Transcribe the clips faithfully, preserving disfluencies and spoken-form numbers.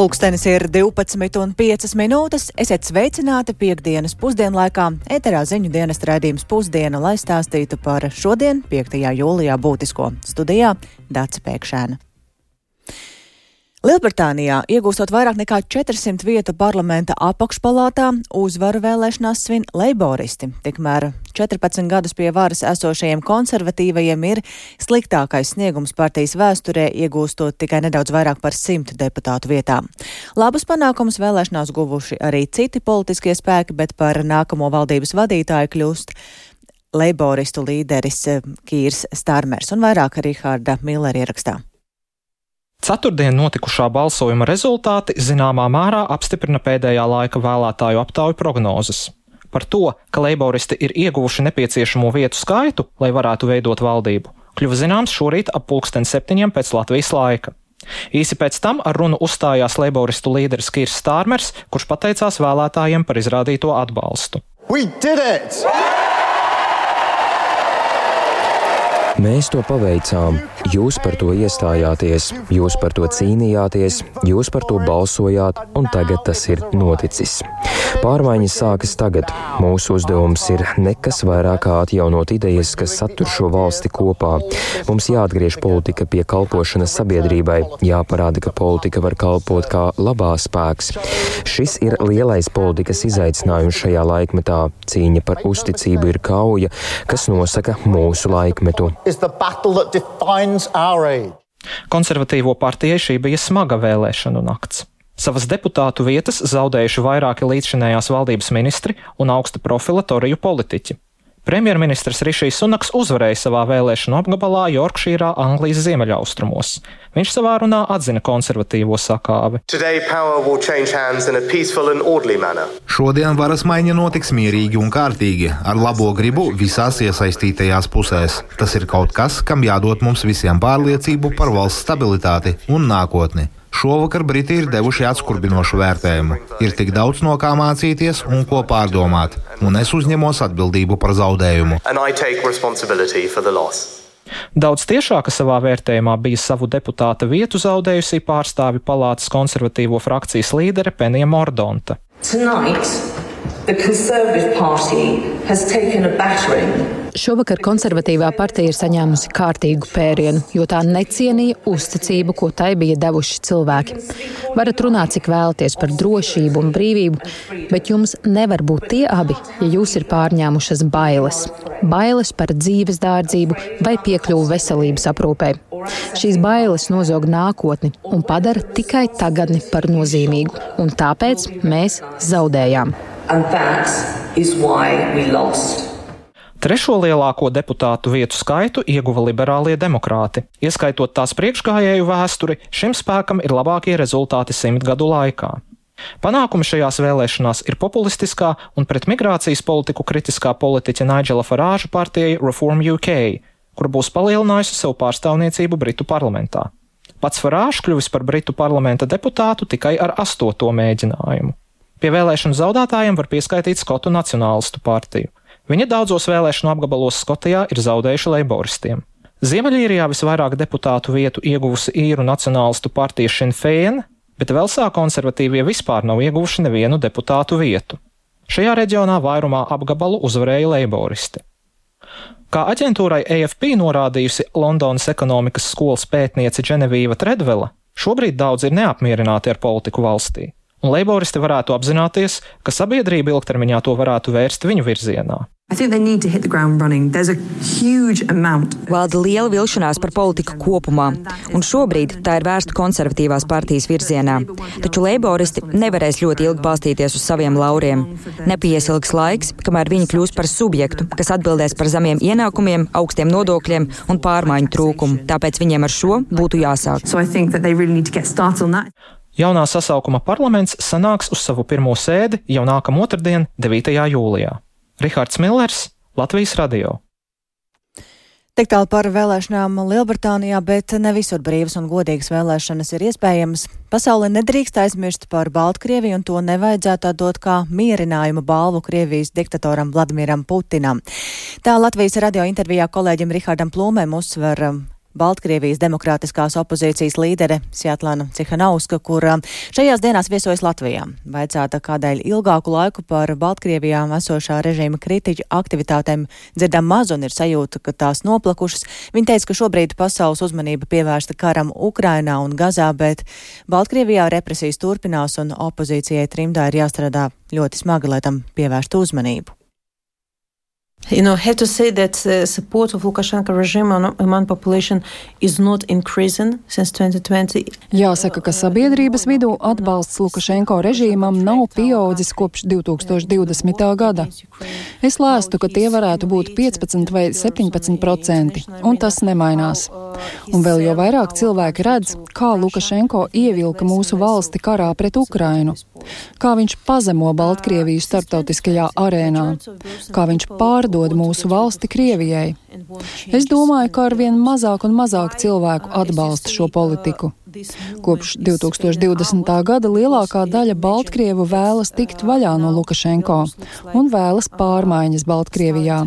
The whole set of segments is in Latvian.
Pulkstenis ir divpadsmit un piecas minūtes. Esiet sveicināti piekdienas pusdienlaikā. Ēterā ziņu dienesta raidījums Pusdiena, lai stāstītu par šodien, piektajā jūlijā būtisko. Studijā Dace Pēkšēna. Lielbritānijā, iegūstot vairāk nekā četrsimt vietu parlamenta apakšpalātā, uzvaru vēlēšanās svin leiboristi. Tikmēr četrpadsmit gadus pie varas esošajiem konservatīvajiem ir sliktākais sniegums partijas vēsturē, iegūstot tikai nedaudz vairāk par simt deputātu vietām. Labus panākumus vēlēšanās guvuši arī citi politiskie spēki, bet par nākamo valdības vadītāju kļūst leiboristu līderis Kīrs Starmers un vairāk Riharda Millera ierakstā. Ceturtdien notikušā balsojuma rezultāti zināmā mērā apstiprina pēdējā laika vēlētāju aptauju prognozes. Par to, ka leiboristi ir ieguvuši nepieciešamo vietu skaitu, lai varētu veidot valdību, kļuva zināms šorīt ap pulksten septiņiem pēc Latvijas laika. Īsi pēc tam ar runu uzstājās leiboristu līderis Kīrs Starmers, kurš pateicās vēlētājiem par izrādīto atbalstu. We did it! Mēs to paveicām, jūs par to iestājāties, jūs par to cīnījāties, jūs par to balsojāt, un tagad tas ir noticis. Pārmaiņas sākas tagad. Mūsu uzdevums ir nekas vairāk kā atjaunot idejas, kas satur šo valsti kopā. Mums jāatgriež politika pie kalpošanas sabiedrībai, jāparāda, ka politika var kalpot kā labā spēks. Šis ir lielais politikas izaicinājums šajā laikmetā. Cīņa par uzticību ir kauja, kas nosaka mūsu laikmetu. Konservatīvo partijai šī bija smaga vēlēšanu nakts. Savas deputātu vietas zaudējuši vairāki līdzšinējās valdības ministri un augsta profila toriju politiķi. Premjerministrs Rišijs Sunaks uzvarēja savā vēlēšanu apgabalā Jorkšīrā, Anglijas ziemeļaustrumos. Viņš savā runā atzina konservatīvo sakāvi. Šodien varas maiņa notiks mierīgi un kārtīgi, ar labo gribu visās iesaistītajās pusēs. Tas ir kaut kas, kam jādod mums visiem pārliecību par valsts stabilitāti un nākotni. Šovakar Briti ir devuši atskurbinošu vērtējumu. Ir tik daudz no kā mācīties un ko pārdomāt, un es uzņemos atbildību par zaudējumu. Daudz tiešāka savā vērtējumā bija savu deputāta vietu zaudējusī pārstāvi palātas konservatīvo frakcijas līdere Penija Mordonta. Šovakar konservatīvā partija ir saņēmusi kārtīgu pērienu, jo tā necienīja uzticību, ko tai bija devuši cilvēki. Varat runāt, cik vēlaties par drošību un brīvību, bet jums nevar būt tie abi, ja jūs ir pārņēmušas bailes. Bailes par dzīves dārdzību vai piekļuvu veselības aprūpei. Šīs bailes nozog nākotni un padara tikai tagadni par nozīmīgu, un tāpēc mēs zaudējām. Trešo lielāko deputātu vietu skaitu ieguva liberālie demokrāti. Ieskaitot tās priekšgājēju vēsturi, šim spēkam ir labākie rezultāti simt gadu laikā. Panākumi šajās vēlēšanās ir populistiskā un pret migrācijas politiku kritiskā politiķa Nigela Farāža partijai Reform U K, kur būs palielinājusi savu pārstāvniecību Britu parlamentā. Pats Farāžs kļuvis par Britu parlamenta deputātu tikai ar astoto mēģinājumu. Pie vēlēšanu zaudētājiem var pieskaitīt Skotu nacionālistu partiju. Viņa daudzos vēlēšanu apgabalos Skotijā ir zaudējuši leiboristiem. Ziemeļīrijā visvairāk deputātu vietu ieguvusi īru nacionālistu partija Sinn Féin, bet Velsā konservatīvie vispār nav ieguvuši nevienu deputātu vietu. Šajā reģionā vairumā apgabalu uzvarēja leiboristi. Kā aģentūrai A F P norādījusi Londonas ekonomikas skolas pētniece Dženevīva Tredvela, šobrīd daudz ir neapmierināti ar politiku valstī. Un leiboristi varētu apzināties, ka sabiedrība ilgtermiņā to varētu vērst viņu virzienā. Valda liela vilšanās par politiku kopumā, un šobrīd tā ir vērsta konservatīvās partijas virzienā. Taču leiboristi nevarēs ļoti ilgi balstīties uz saviem lauriem. Nepiesilgs laiks, kamēr viņi kļūs par subjektu, kas atbildēs par zemiem ienākumiem, augstiem nodokļiem un pārmaiņu trūkumu. Tāpēc viņiem ar šo būtu jāsāk. Jaunā sasaukuma parlaments sanāks uz savu pirmo sēdi jau nākamā otrdien, devītajā jūlijā. Rihards Millers, Latvijas radio. Tik tālu par vēlēšanām Lielbritānijā, bet ne visur brīvas un godīgas vēlēšanas ir iespējamas. Pasaulē nedrīkst aizmirst par Baltkrieviju, un to nevajadzētu dot kā mierinājumu balvu Krievijas diktatoram Vladimiram Putinam. Tā Latvijas radio intervijā kolēģim Rihardam Plūmēm uzsver Baltkrievijas demokrātiskās opozīcijas līdere Sjatlana Cihanauska, kur šajās dienās viesojas Latvijā. Vaicāta, kādēļ ilgāku laiku par Baltkrievijā esošā režīma kritiķu aktivitātēm dzirdam maz un ir sajūta, ka tās noplakušas. Viņa teica, ka šobrīd pasaules uzmanība pievērsta karam Ukrainā un Gazā, bet Baltkrievijā represijas turpinās un opozīcijai trimdā ir jāstrādā ļoti smagi, lai tam pievērstu uzmanību. You know, have to say that uh, support of Lukashenko regime among population is not increasing since twenty twenty. Jāsaka, ka sabiedrības vidū atbalsts Lukašenko režīmam nav pieaudzis kopš divi tūkstoši divdesmitā gada. Es lēstu, ka tie varētu būt piecpadsmit vai septiņpadsmit procenti, un tas nemainās. Un vēl jau vairāk cilvēki redz, kā Lukašenko ievilka mūsu valsti karā pret Ukrainu, kā viņš pazemo Baltkrieviju starptautiskajā arēnā, kā viņš pārdod mūsu valsti Krievijai. Es domāju, ka arvien mazāk un mazāk cilvēku atbalsta šo politiku. Kopš divi tūkstoši divdesmitā gada lielākā daļa Baltkrievu vēlas tikt vaļā no Lukašenko un vēlas pārmaiņas Baltkrievijā.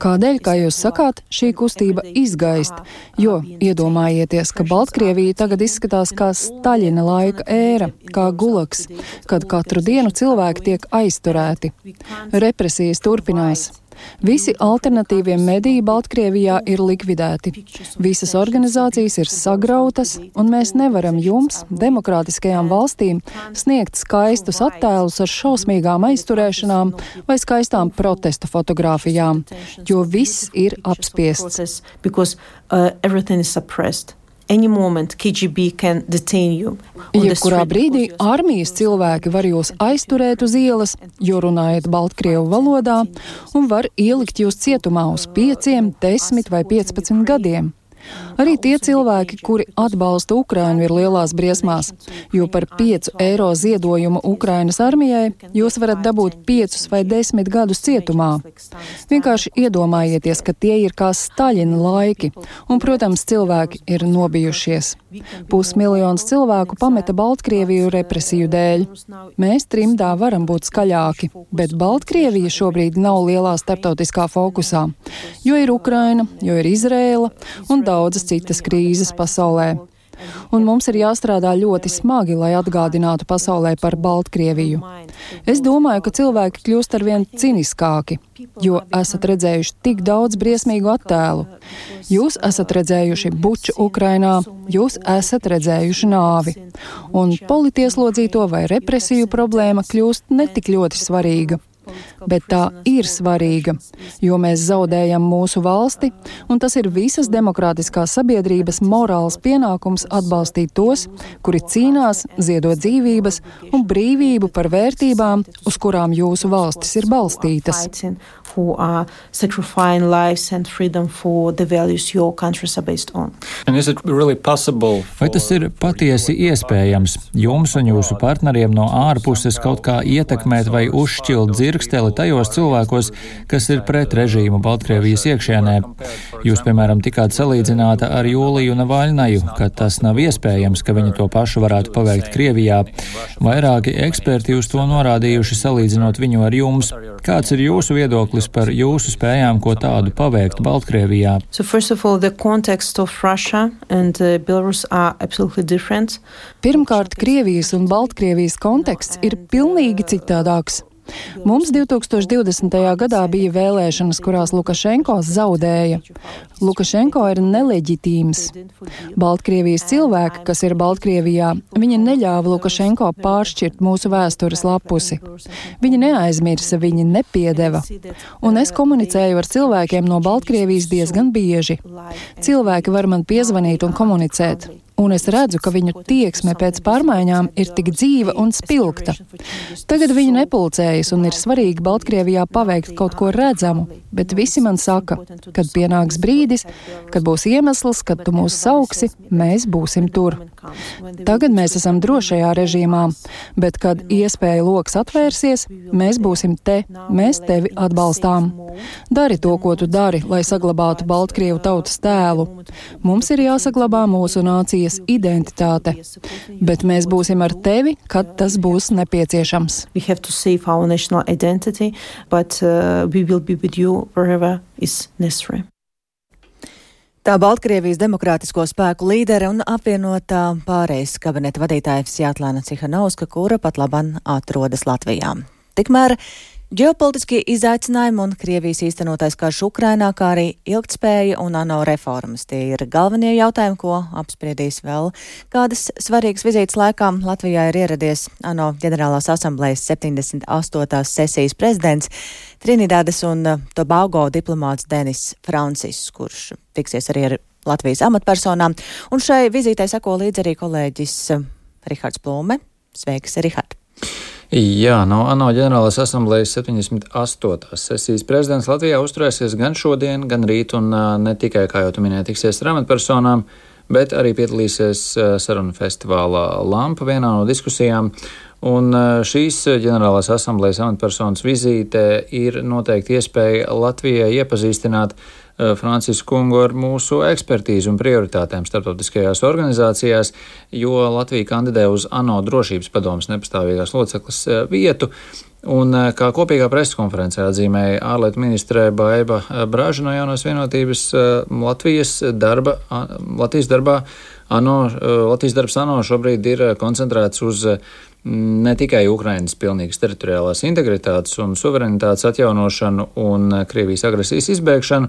Kādēļ, kā jūs sakāt, šī kustība izgaist? Jo iedomājieties, ka Baltkrievija tagad izskatās kā Staļina laika ēra, kā gulaks, kad katru dienu cilvēki tiek aizturēti. Represijas turpinās. Visi alternatīvie mediji Baltkrievijā ir likvidēti. Visas organizācijas ir sagrautas, un mēs nevaram jums, demokrātiskajām valstīm, sniegt skaistus attēlus ar šausmīgām aizturēšanām vai skaistām protesta fotogrāfijām, jo viss ir apspiests. Jebkurā brīdī armijas cilvēki var jūs aizturēt uz ielas, jo runājat baltkrievu valodā, un var ielikt jūs cietumā uz pieciem, desmit vai piecpadsmit gadiem. Arī tie cilvēki, kuri atbalsta Ukrainu, ir lielās briesmās, jo par piecu eiro ziedojumu Ukrainas armijai jūs varat dabūt piecus vai desmit gadus cietumā. Vienkārši iedomājieties, ka tie ir kā Staļina laiki, un, protams, cilvēki ir nobijušies. Pusmiljons cilvēku pameta Baltkrieviju represiju dēļ. Mēs trimdā varam būt skaļāki, bet Baltkrievija šobrīd nav lielā starptautiskā fokusā, jo ir Ukraina, jo ir Izrēla un daudzas citas krīzes pasaulē. Un mums ir jāstrādā ļoti smagi, lai atgādinātu pasaulē par Baltkrieviju. Es domāju, ka cilvēki kļūst arvien ciniskāki, jo esat redzējuši tik daudz briesmīgu attēlu. Jūs esat redzējuši buču Ukrainā, jūs esat redzējuši nāvi. Un politieslodzīto vai represiju problēma kļūst netik ļoti svarīga. Bet tā ir svarīga, jo mēs zaudējam mūsu valsti, un tas ir visas demokrātiskās sabiedrības morāls pienākums atbalstīt tos, kuri cīnās, ziedot dzīvības un brīvību par vērtībām, uz kurām jūsu valstis ir balstītas. Who are sacrificing lives and freedom for the values your countries are based on. Really Vai tas ir patiesi iespējams jums un jūsu partneriem no ārpuses kaut kā ietekmēt vai uzšķilt dzirksteli tajos cilvēkos, kas ir pret režīmu Baltkrievijas iekšienē? Jūs, piemēram, tikāt salīdzināta ar Jūliju Navaļnaju, ka tas nav iespējams, ka viņa to pašu varētu paveikt Krievijā. Vairāki eksperti uz to norādījuši, salīdzinot viņu ar jums. Kāds ir jūsu viedoklis par jūsu spējām, ko tādu paveikt Baltkrievijā? So first of all, the context of Russia and uh, Belarus are absolutely different. Pirmkārt, Krievijas un Baltkrievijas konteksts ir pilnīgi citādāks. Mums divi tūkstoši divdesmitajā gadā bija vēlēšanas, kurās Lukašenko zaudēja. Lukašenko ir neleģitīms. Baltkrievijas cilvēki, kas ir Baltkrievijā, viņi neļāva Lukašenko pāršķirt mūsu vēstures lapusi. Viņi neaizmirsa, viņi nepiedeva. Un es komunicēju ar cilvēkiem no Baltkrievijas diezgan bieži. Cilvēki var man piezvanīt un komunicēt. Un es redzu, ka viņu tieksme pēc pārmaiņām ir tik dzīva un spilgta. Tagad viņi nepulcējas un ir svarīgi Baltkrievijā paveikt kaut ko redzamu, bet visi man saka, kad pienāks brīdis, kad būs iemesls, kad tu mūs sauksi, mēs būsim tur. Tagad mēs esam drošajā režīmā, bet kad iespēja loks atvērsies, mēs būsim te, mēs tevi atbalstām. Dari to, ko tu dari, lai saglabātu Baltkrievu tautas tēlu. Mums ir jāsaglabā mūsu nācijas identitāte, bet mēs būsim ar tevi, kad tas būs nepieciešams. We have to save our national identity, but uh, we will be with you wherever is necessary. Tā Baltkrievijas demokrātisko spēku līdere un apvienotā pārejas kabineta vadītāja Svjatlana Cihanovska, kura pat laban atrodas Latvijā. Tikmēr ģeopolitiskie izaicinājumi un Krievijas īstenotais karš Ukrainā, kā arī ilgtspēja un ANO reformas. Tie ir galvenie jautājumi, ko apspriedīs vēl kādas svarīgas vizītes laikā. Latvijā ir ieradies ANO ģenerālās asamblejas septiņdesmit astotās sesijas prezidents Trinidādas un Tobago diplomāts Denis Francis, kurš tiksies arī ar Latvijas amatpersonām. Un šai vizītei seko līdz arī kolēģis Rihards Plūme. Sveiks, Rihard! Jā, no ANO ģenerālās asamblejas septiņdesmit astotās sesijas prezidents Latvijā uzturēsies gan šodien, gan rīt, un ne tikai, kā jau tu minēji, tiksies ar amatpersonām, bet arī piedalīsies sarunu festivālā Lampa vienā no diskusijām. Un šīs ģenerālās asamblejas amatpersonas vizīte ir noteikti iespēja Latvijai iepazīstināt Francisku kungu ar mūsu ekspertīzi un prioritātēm starptautiskajās organizācijās, jo Latvija kandidē uz ANO drošības padomes nepastāvīgās locekles vietu. Un kā kopīgā preskonferencē atzīmēja ārlietu ministre Baiba Braža no Jaunās vienotības, Latvijas darba, Latvijas darbā ANO, Latvijas darbs ANO šobrīd ir koncentrēts uz ne tikai Ukrainas pilnīgas teritoriālās integritātes un suverenitātes atjaunošanu un Krievijas agresijas izbēgšanu,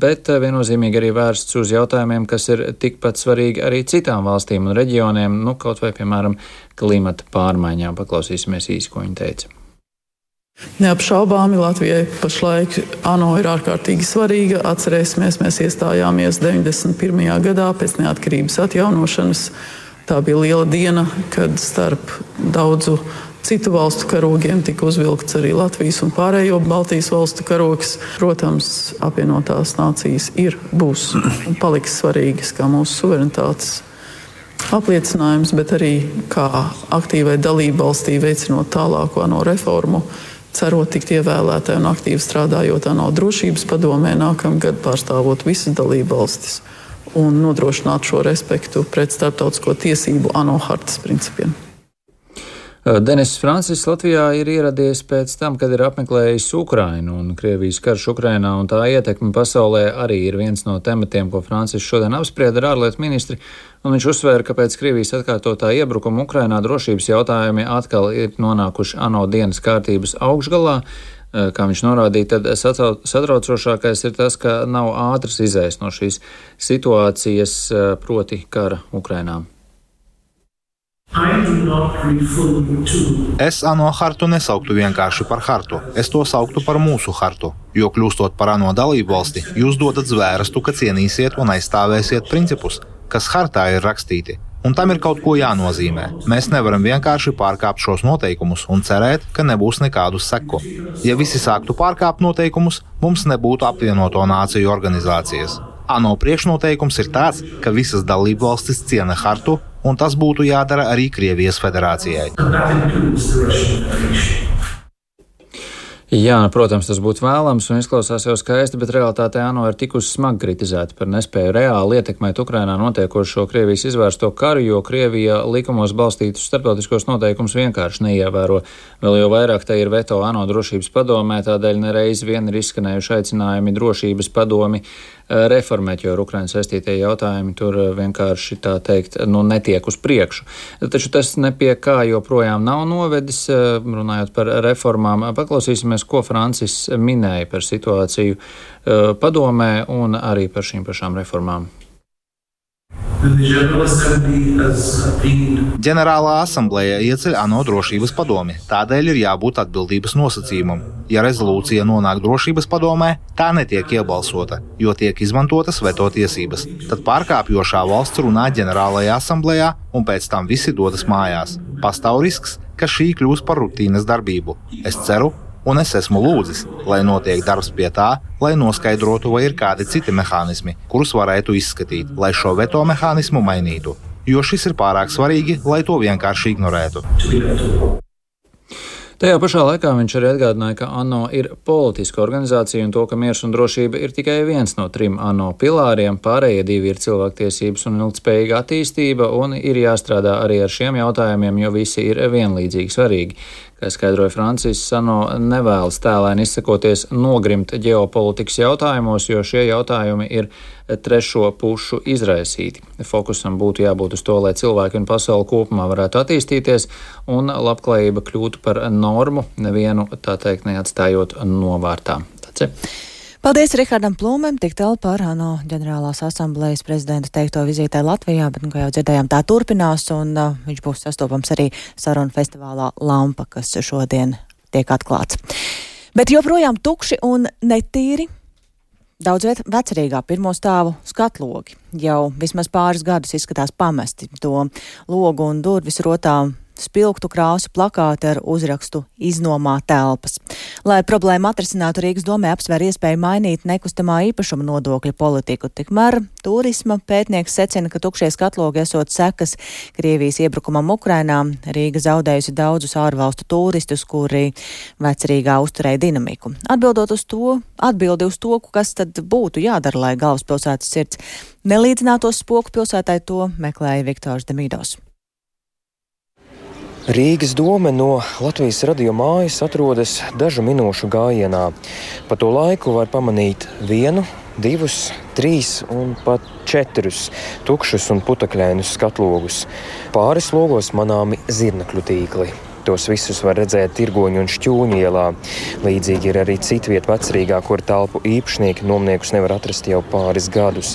bet viennozīmīgi arī vērsts uz jautājumiem, kas ir tikpat svarīgi arī citām valstīm un reģioniem, nu kaut vai, piemēram, klimata pārmaiņām. Paklausīsimies īsi, ko viņa teica. Neapšaubāmi Latvijai pašlaik ANO ir ārkārtīgi svarīga. Atcerēsimies, mēs iestājāmies deviņdesmit pirmajā gadā pēc neatkarības atjaunošanas. Tā bija liela diena, kad starp daudzu citu valstu karogiem tika uzvilkts arī Latvijas un pārējo Baltijas valstu karogs. Protams, apvienotās nācijas ir, būs un paliks svarīgas kā mūsu suverenitātes apliecinājums, bet arī kā aktīvai dalību valstī veicinot tālāko ANO reformu, cerot tikt ievēlētai un aktīvi strādājot ANO drošības padomē nākamgad, pārstāvot visas dalību valstis un nodrošināt šo respektu pret starptautisko tiesību ANO hartas principiem. Denis Francis Latvijā ir ieradies pēc tam, kad ir apmeklējis Ukrainu, un Krievijas karš Ukrainā un tā ietekme pasaulē arī ir viens no tematiem, ko Francis šodien apsprieda ar ārlietu ministri, un viņš uzsvēra, ka pēc Krievijas atkārtotā iebrukuma Ukrainā drošības jautājumi atkal ir nonākuši ANO dienas kārtības augšgalā. Kā viņš norādīja, tad satraucošākais ir tas, ka nav ātras izējas no šīs situācijas, proti kara Ukrainā. Es ANO hartu nesauktu vienkārši par hartu, es to sauktu par mūsu hartu, jo kļūstot par ANO dalību valsti, jūs dodat zvērstu, ka cienīsiet un aizstāvēsiet principus, kas hartā ir rakstīti. Un tam ir kaut ko jānozīmē. Mēs nevaram vienkārši pārkāpt šos noteikumus un cerēt, ka nebūs nekādu seku. Ja visi sāktu pārkāpt noteikumus, mums nebūtu apvienoto nāciju organizācijas. ANO priekšnoteikums ir tāds, ka visas dalībvalstis ciena hartu, un tas būtu jādara arī Krievijas federācijai. Jā, protams, tas būtu vēlams un izklausās jau skaisti, bet realitātē ANO ir tikusi smagi kritizēta par nespēju reāli ietekmēt Ukrainā notiekošo Krievijas izvērsto karu, jo Krievija likumos balstītus starptautiskos noteikumus vienkārši neievēro. Vēl jau vairāk te ir veto ANO drošības padomē, tādēļ nereiz vien ir izskanējuši aicinājumi drošības padomi reformēt, jo ar Ukrainu saistītie jautājumi tur vienkārši, tā teikt, nu, netiek uz priekšu. Taču tas ne pie kā joprojām nav novedis, runājot par reformām. Paklausīsimies, ko Francis minēja par situāciju padomē un arī par šīm pašām reformām. Ģenerālā asambleja ieceļ ANO drošības padomi, tādēļ ir jābūt atbildības nosacījumam. Ja rezolūcija nonāk drošības padomē, tā netiek iebalsota, jo tiek izmantotas veto tiesības. Tad pārkāpjošā valsts runā ģenerālajā asamblejā un pēc tam visi dodas mājās. Pastāv risks, ka šī kļūs par rutīnas darbību. Es ceru, un es esmu lūdzis, lai notiek darbs pie tā, lai noskaidrotu, vai ir kādi citi mehānismi, kurus varētu izskatīt, lai šo veto mehānismu mainītu, jo šis ir pārāk svarīgi, lai to vienkārši ignorētu. Tajā pašā laikā viņš arī atgādināja, ka ANO ir politiska organizācija un to, ka miers un drošība ir tikai viens no trim ANO pilāriem, pārējie divi ir cilvēktiesības un ilgtspējīga attīstība, un ir jāstrādā arī ar šiem jautājumiem, jo visi ir vienlīdzīgi svarīgi. Kā skaidroja Francis Sano, nevēlas tēlēni izsakoties nogrimt ģeopolitikas jautājumos, jo šie jautājumi ir trešo pušu izraisīti. Fokusam būtu jābūt uz to, lai cilvēki un pasauli kopumā varētu attīstīties un labklājība kļūtu par normu, nevienu, tā teikt, neatstājot novārtā. Tāds ir. Paldies Rihardam Plūmēm, tik tālu par ANO ģenerālās asamblejas prezidenta teikto vizītē Latvijā, bet, nu, kā jau dzirdējām, tā turpinās, un uh, viņš būs sastopams arī sarunu festivālā Lampa, kas šodien tiek atklāts. Bet joprojām tukši un netīri daudz viet vecerīgā pirmo stāvu skatlogi. Jau vismaz pāris gadus izskatās pamesti. To logu un durvis rotā spilgtu krāsu plakāti ar uzrakstu iznomā telpas. Lai problēmu atrisinātu, Rīgas domē apsver iespēju mainīt nekustamā īpašuma nodokļa politiku. Tikmēr turisma pētnieks secina, ka tukšie skatlogi esot sekas Krievijas iebrukumam Ukrainā. Rīga zaudējusi daudzus ārvalstu turistus, kuri vecerīgā uzturēja dinamiku. Atbildot uz to, atbildi uz to, kas tad būtu jādara, lai galvaspilsētas sirds nelīdzinātos spoku pilsētai, to meklēja Viktors Demīdos. Rīgas dome no Latvijas radio mājas atrodas dažu minūšu gājienā. Pa to laiku var pamanīt vienu, divus, trīs un pat četrus tukšus un putekļainus skatlogus. Pāris logos manāmi zirnekļu tīkli. Tos visus var redzēt Tirgoņu un Šķūņu ielā. Līdzīgi ir arī citviet vecerīgā, kur telpu īpašnieki nomniekus nevar atrast jau pāris gadus.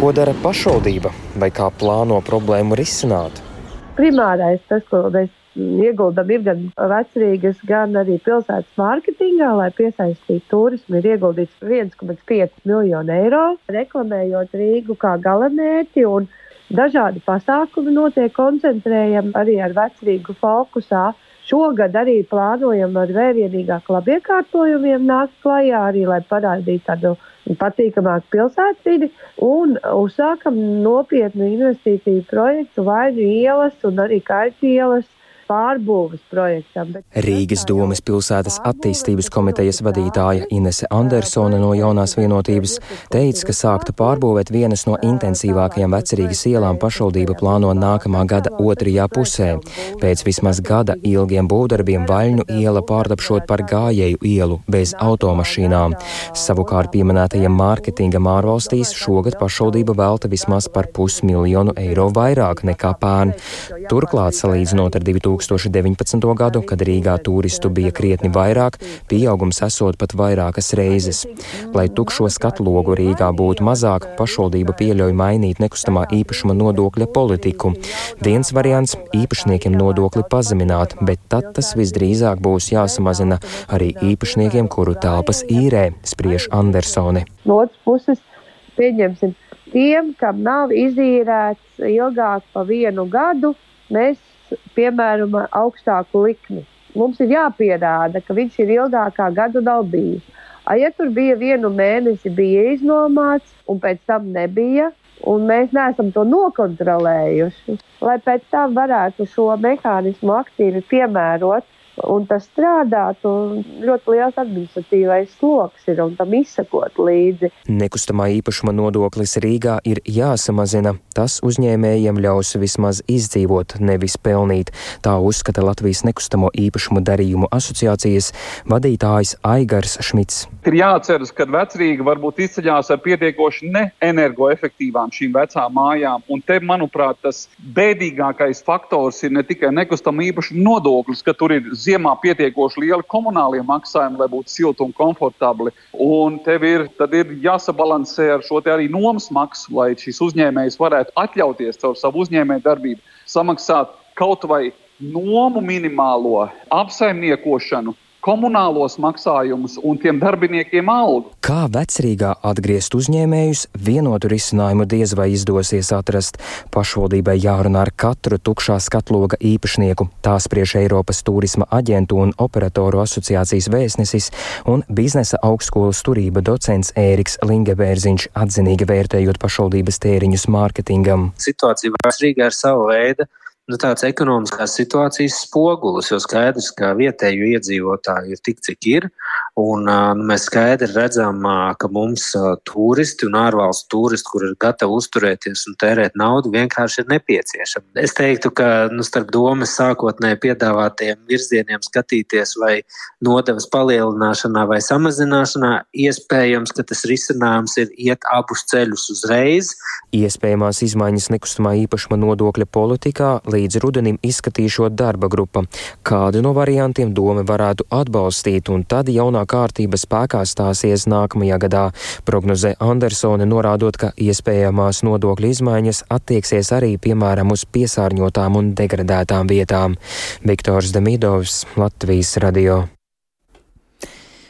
Ko dara pašvaldība vai kā plāno problēmu risināt? Primārais tas, ko mēs ieguldam, ir gan vecerīgas, gan arī pilsētas mārketingā, lai piesaistītu turismu. Ir ieguldīts viens komats pieci miljonu eiro, reklamējot Rīgu kā galamērķi, un dažādi pasākumi notiek, koncentrējam arī ar vecerīgu fokusā. Šogad arī plānojam ar vērienīgāku labiekārtojumiem nākt klajā, arī lai parādītu tādu patīkamāku pilsētvidi, un uzsākam nopietnu investīciju projektu Vaļņu ielas un arī Kaļķu ielas pārbūves projektam. Bet... Rīgas domes pilsētas attīstības komitejas vadītāja Inese Andersone no Jaunās vienotības teica, ka sākta pārbūvēt vienas no intensīvākajām vecerīgas ielām pašvaldība plāno nākamā gada otrajā pusē. Pēc vismaz gada ilgiem būvdarbiem Vaļņu iela pārtapšot par gājēju ielu bez automašīnām. Savukārt pieminētajiem mārketingam ārvalstīs šogad pašvaldība velta vismaz par pusmiljonu eiro vairāk nekā pērn. Turklāt, salīdzinot ar divi tūkstoši deviņpadsmito gadu, kad Rīgā turistu bija krietni vairāk, pieaugums esot pat vairākas reizes. Lai tukšo skatlogu Rīgā būtu mazāk, pašvaldība pieļauj mainīt nekustamā īpašuma nodokļa politiku. Viens variants - īpašniekiem nodokli pazemināt, bet tad tas visdrīzāk būs jāsamazina arī īpašniekiem, kuru telpas īrē, spriež Andersone. No otras puses, pieņemsim, tiem, kam nav izīrēts ilgāk pa vienu gadu, mēs piemēram augstāku likmi. Mums ir jāpierāda, ka viņš ir ilgākā gadu nav bijis. A, ja tur bija vienu mēnesi bija iznomāts un pēc tam nebija, un mēs neesam to nokontrolējuši, lai pēc tam varētu šo mehānismu aktīvi piemērot, un tas strādātu, ļoti liels administratīvais sloks ir un tam izsakot līdzi. Nekustamā īpašuma nodoklis Rīgā ir jāsamazina. Tas uzņēmējiem ļaus vismaz izdzīvot, nevis pelnīt. Tā uzskata Latvijas nekustamo īpašumu darījumu asociācijas vadītājs Aigars Šmits. Ir jāatceras, ka vecerīga varbūt izceļās ar pietiekoši neenergoefektīvām šīm vecām mājām, un te, manuprāt, tas bēdīgākais faktors ir ne tikai nekustamo īpašumu nodoklis, ka tur ir ziemā pietiekoši lieli komunālie maksājumi, lai būtu silti un komfortabli. Un tev ir, tad ir jāsabalansē ar šo te arī nomas maksu, lai šis uzņēmējs varētu atļauties caur savu uzņēmēju darbību samaksāt kaut vai nomu minimālo, apsaimniekošanu, komunālos maksājumus un tiem darbiniekiem algu. Kā vecerīgā atgriezt uzņēmējus, vienotu risinājumu diez vai izdosies atrast. Pašvaldībai jārunā ar katru tukšā skatloga īpašnieku. Tā spriež Eiropas turisma aģentu un operatoru asociācijas vēstnesis un biznesa augstskolas turība docents Ēriks Lingebērziņš, atzinīgi vērtējot pašvaldības tēriņus mārketingam. Situācija vecerīgā ir sava veida Nu, tāds ekonomiskās situācijas spogulis, jo skaidrs, ka vietēju iedzīvotāju ir tik, cik ir, Un uh, mēs skaidri redzam, uh, ka mums uh, turisti un ārvalstu turisti, kur ir gatavi uzturēties un tērēt naudu, vienkārši ir nepieciešami. Es teiktu, ka nu, starp domas sākotnēji piedāvātiem virzieniem skatīties vai nodevas palielināšanā vai samazināšanā, iespējams, ka tas risinājums ir iet abus ceļus uzreiz. Iespējamās izmaiņas nekustamā īpašuma nodokļa politikā līdz rudenim izskatīšot darba grupa. Kādu no variantiem doma varētu atbalstīt, un tad jaunā kārtība spēkā stāsies nākamajā gadā, prognozē Andersone, norādot, ka iespējamās nodokļu izmaiņas attieksies arī, piemēram, uz piesārņotām un degradētām vietām. Viktors Demidovs, Latvijas radio.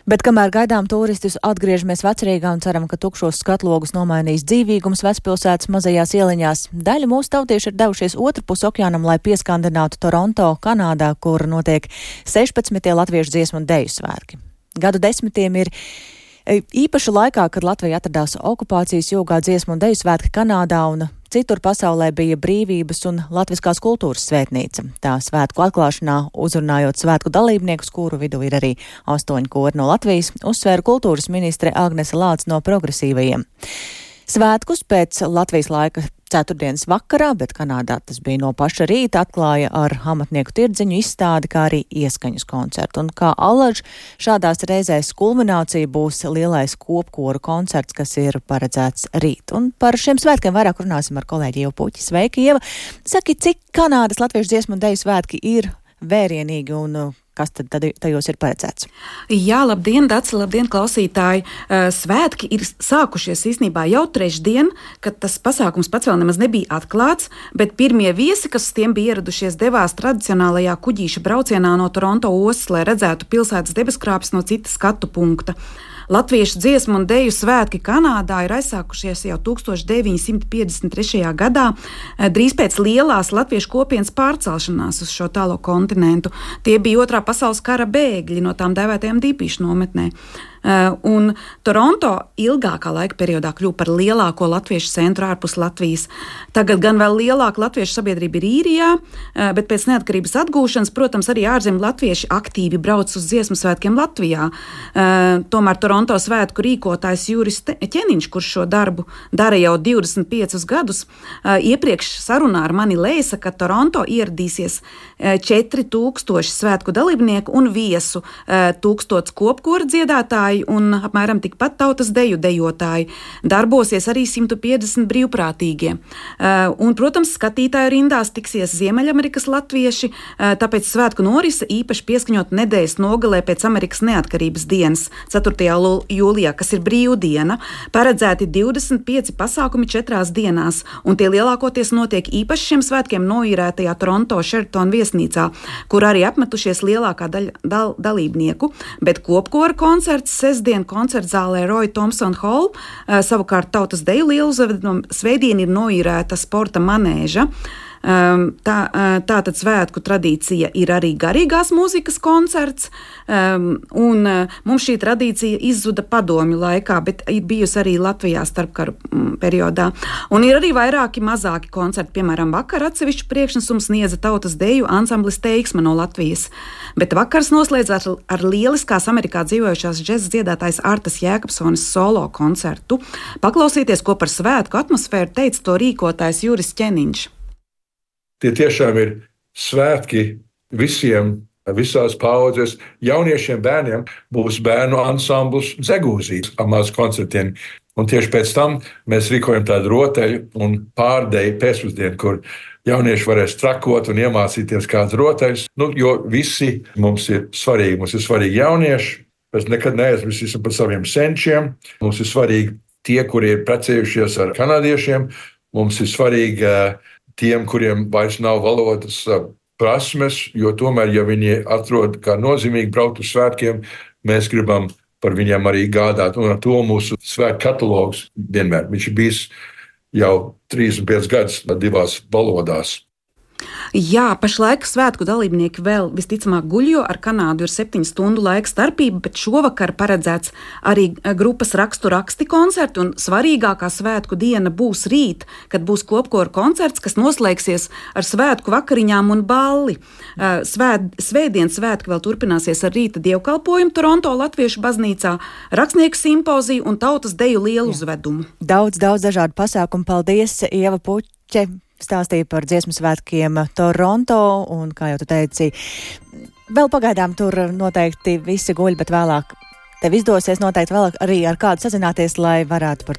Bet kamēr gaidām turistus, atgriežamies Vecrīgā un ceram, ka tukšos skatlogus nomainīs dzīvīgums vecpilsētas mazajās ieliņās. Daļa mūsu tautieši ir devušies otrpus okeānam, lai pieskandinātu Toronto, Kanādā, kur notiek sešpadsmitie latviešu dziesmu un deju svētki. Gadu desmitiem ir īpaši laikā, kad Latvija atradās okupācijas jūgā, dziesmu un deju svētki Kanādā un citur pasaulē bija brīvības un latviskās kultūras svētnīca. Tā svētku atklāšanā uzrunājot svētku dalībniekus, kuru vidū ir arī astoņi kori no Latvijas, uzsvēra kultūras ministre Agnese Lāce no progresīvajiem. Svētkus pēc Latvijas laika ceturtdienas vakarā, bet Kanādā tas bija no paša rīta, atklāja ar amatnieku tirdziņu izstādi, kā arī ieskaņas koncertu. Un kā alaž, šādās reizēs kulminācija būs lielais kopkoru koncerts, kas ir paredzēts rīt. Un par šiem svētkiem vairāk runāsim ar kolēģi Ievu Puķi. Sveiki, Ieva! Saki, cik Kanādas latviešu dziesmu un deju svētki ir vērienīgi un kas tad tajos ir paredzēts? Jā, labdien, Daci, labdien, klausītāji! Svētki ir sākušies īstenībā jau trešdien, kad tas pasākums pats vēl nemaz nebija atklāts, bet pirmie viesi, kas tiem bija ieradušies, devās tradicionālajā kuģīša braucienā no Toronto ostas, lai redzētu pilsētas debeskrāpes no cita skatu punkta. Latviešu dziesmu un deju svētki Kanādā ir aizsākušies jau tūkstoš deviņi simti piecdesmit trešajā gadā, drīz pēc lielās latviešu kopienas pārcelšanās uz šo tālo kontinentu. Tie bija otrā pasaules kara bēgļi no tām dēvētajām dīpīšu nometnē. Un Toronto ilgākā laika periodā kļuva par lielāko latviešu centru ārpus Latvijas. Tagad gan vēl lielāka latviešu sabiedrība ir Īrijā, bet pēc neatkarības atgūšanas, protams, arī ārzemju latvieši aktīvi brauc uz dziesmu svētkiem Latvijā. Tomēr Toronto svētku rīkotājs Juris Ķeniņš, kurš šo darbu dara jau divdesmit piecus gadus, iepriekš sarunā ar mani lēsa, ka Toronto ieradīsies četri tūkstoši svētku dalībnieku un viesu, tūkstots kopkora dziedātāji un apmēram tikpat tautas deju dejotāji. Darbosies arī simt piecdesmit brīvprātīgie. Un, protams, skatītāju rindās tiksies Ziemeļamerikas latvieši, tāpēc svētku norise īpaši pieskaņot nedēļas nogalē pēc Amerikas neatkarības dienas, ceturtajā jūlijā, kas ir brīvdiena, paredzēti divdesmit pieci pasākumi četrās dienās, un tie lielākoties notiek īpaši šiem svētkiem noīrētajā Toronto Sheraton viesnīcā, kur arī apmetušies lielākā daļa dal, dalībnieku, bet kopkora koncerts sestdien koncertzālē Roy Thompson Hall, savukārt tautas deju lieluzveduma svētdien ir noīrēta sporta manēža. Tā, tā tad svētku tradīcija ir arī garīgās mūzikas koncerts, un mums šī tradīcija izzuda padomju laikā, bet ir bijusi arī Latvijā starpkaru periodā. Un ir arī vairāki mazāki koncerti, piemēram, vakar atsevišķu priekšnesumu sniedza tautas deju ansamblis Teiksme no Latvijas. Bet vakars noslēdzās ar, ar lieliskās Amerikā dzīvojušās džeza dziedātājs Artas Jēkabsonis solo koncertu. Paklausīties, ko par svētku atmosfēru teica to rīkotājs Juris Ķeniņš. Tie tiešām ir svētki visiem, visās paudzes. Jauniešiem bērniem būs bērnu ansambls Zegūzīs ar mazu koncertiem. Un tieši pēc tam mēs rīkojam tādu rotaļu un pārdeju pēcpusdienu, kur jaunieši varēs trakot un iemācīties kādas rotaļas. Nu, jo visi mums ir svarīgi. Mums ir svarīgi jaunieši. Mēs nekad neaizmirsīsim par saviem senčiem. Mums ir svarīgi tie, kuri ir precējušies ar kanādiešiem. Mums ir svarīgi tiem, kuriem vairs nav valodas prasmes, jo tomēr, ja viņi atrod kā nozīmīgi braukt uz svētkiem, mēs gribam par viņiem arī gādāt. Un ar to mūsu svētku katalogs vienmēr. Viņš ir bijis jau trīsdesmit piecus gadus divās valodās. Jā, pašlaik svētku dalībnieki vēl visticamāk guļ, jo ar Kanādu ir septiņu stundu laika starpība, bet šovakar paredzēts arī grupas rakstu raksti koncerti, un svarīgākā svētku diena būs rīt, kad būs kopkoru koncerts, kas noslēgsies ar svētku vakariņām un balli. Svēt, svētdien svētki vēl turpināsies ar rīta dievkalpojumu Toronto Latviešu baznīcā, rakstnieku simpoziju un tautas deju lielu uzvedumu. Daudz, daudz dažādu pasākumu. Paldies, Ieva Puķe! Stāstīja par dziesmu svētkiem Toronto, un, kā jau tu teici, vēl pagaidām tur noteikti visi guļ, bet vēlāk tev izdosies noteikti vēl arī ar kādu sazināties, lai varētu par to